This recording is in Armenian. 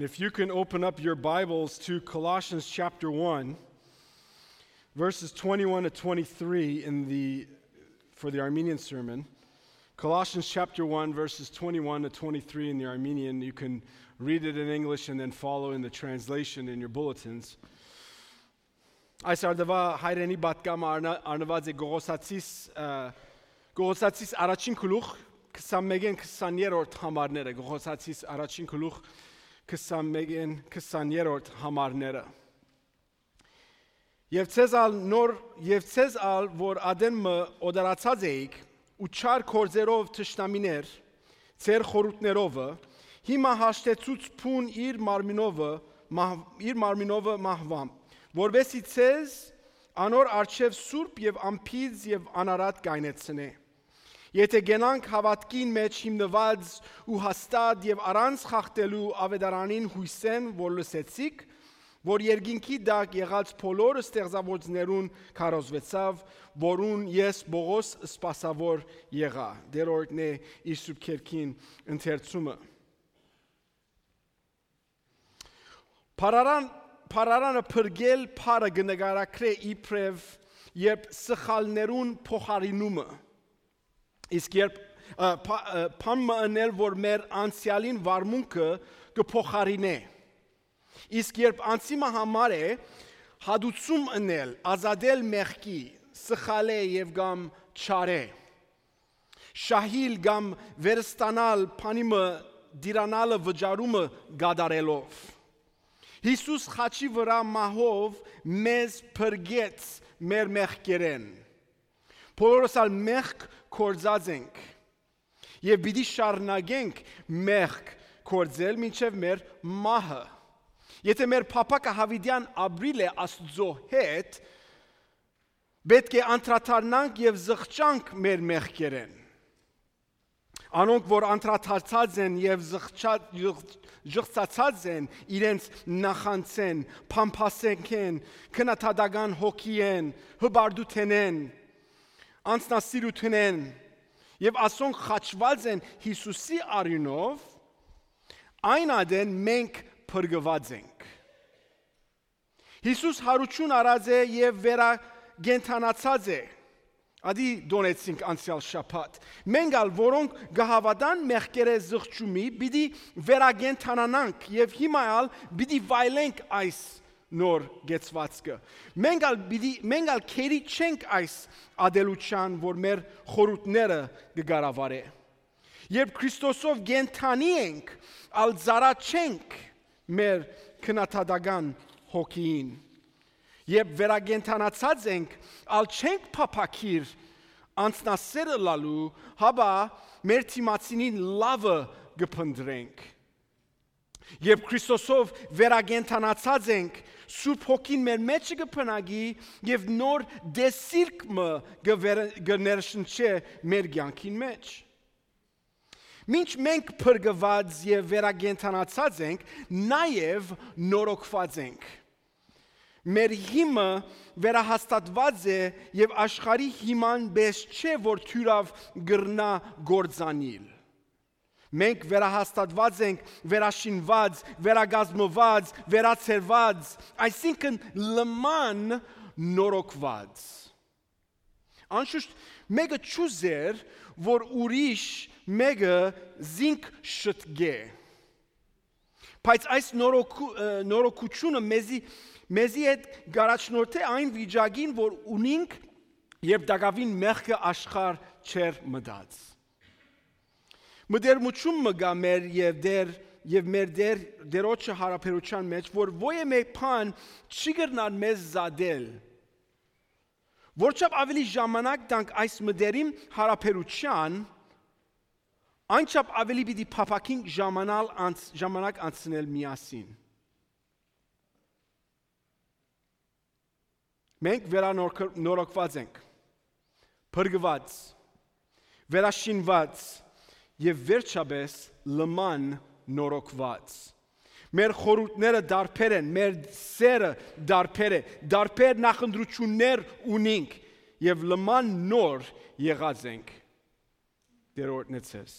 If you can open up your Bibles to Colossians chapter 1, verses 21 to 23 for the Armenian sermon. Colossians chapter 1, verses 21 to 23 in the Armenian. You can read it in English and then follow in the translation in your bulletins. Այս արդվա հայրենի բատկամը արնված է Գողոսացիս առաջին գլուխ 21-20-րդ համարները, Գողոսացիս առաջին գլուխ 21-20-րդ համարները։ Եվ ցեզ ալ որ ադենը օդարացած էիք ու չար կորձերով թշնամիներ ծեր խորուտներովը հիմա հաշտեցուց փուն իր մարմինովը մահվամ որովհետեւ ցեզ անոր արչև սուրբ եւ ամփիծ եւ անարատ կայնեցնե եթե գենանք հավատքին մեջ հիմնված ու հաստատ եւ առանց խախտելու ավետարանին հույսեն որ լսեցիք որ երկինքի դակ եղած բոլոր ստեղծավորներուն քարոզվեցավ որուն ես Բողոս սպասավոր եղա դերորդն է իր սուրբ քերքին ընթերցումը Փարարանը փրկել փարը գնագարակրե իբրև երբ սխալներուն փոխարինումը իսկ երբ փամը անել որ մեր անցյալին վարմունքը կփոխարինե իսկ երբ անցիմը համար է հադուցում անել ազատել մեղքի սխալե եւ գամ չարե շահիլ գամ վերստանալ փանիմը դիրանալը վճարումը գադարելով Հիսուս խաչի վրա մահով մեզ փրկեց մեր մեղքերեն Բոլորս ալ մեղք կորձած ենք եւ պիտի շարունակենք մեղք կորձել մինչեւ մեր մահը Եթե մեր փապակը հավիդյան ապրիլ է Աստծո հետ պետք է անդրադառնանք եւ զղջանք մեր մեղքերեն Անոնք որ անդրադարձած են եւ զղջացած են իրենց նախանցեն փամփասեն քնաթադական հոգիեն հբարդութենեն անցնասիրութենեն եւ ասոնք խաչված են Հիսուսի արյունով այն ադեն մենք փրկված ենք Հիսուս հարություն արած է եւ վերագենթանացած է Ադի դոնեցինք անցյալ շաբաթ մենք ալ որոնք գահավադան մեղքերը զղջումի պիտի վերագենթանանանք եւ հիմա ալ պիտի վայելենք այս նոր գեցվածքը մենք ալ քերի չենք այս ադելուչան որ մեր խորութները կգարավարե երբ Քրիստոսով գենթանի ենք ալ զարաչենք մեր քնաթադական հոգին Եվ վերագենթանացած ենք, ալ չենք փափակիր անցնասերը լալու, հաբա մեր թիմացինին լավը գպնդրենք։ Եվ Քրիստոսով վերագենթանացած ենք, Սուրբ հոգին մեր մեջը գպնագի եւ նոր դեսիրկը գներշնչե մեր կյանքին մեջ։ Մինչ մենք փրկված եւ վերագենթանացած ենք, նաեւ նորոգված ենք։ Մեր հիմը վերահաստատված է եւ աշխարհի հիման պես չէ որ թյուրավ գրնա գործանիլ Մենք վերահաստատված ենք վերաշինված վերագազմված վերացերված այսինքն լման նորոգված Անշուշտ մեկը ճուզեր որ ուրիշ մեկը զինք շտգե Բայց այս նորոգությունը մեզի հետ գարաչնորդ է այն վիճակին, որ ունինք, երբ դակավին մեղքը աշխար չեր մտած։ Մտերմություն մգա մեր եւ մեր դերոջը հարաբերության մեջ, որ ոյե մեկ բան չի գտնան մեզ զադել։ Որչափ ավելի ժամանակ տանք այս մտերիմ հարաբերության, այնչափ ավելի պիտի փափակենք ժամանակ անցնել միասին։ Մենք վերանորոգված ենք, փրկված, վերաշինված եւ վերջապես լման նորոգված։ Մեր խորհուրդները դարբեր են, մեր սերը դարբեր է, դարբեր նախընտրություններ ունենք եւ լման նոր եղած ենք։ Դերորդն է ցես։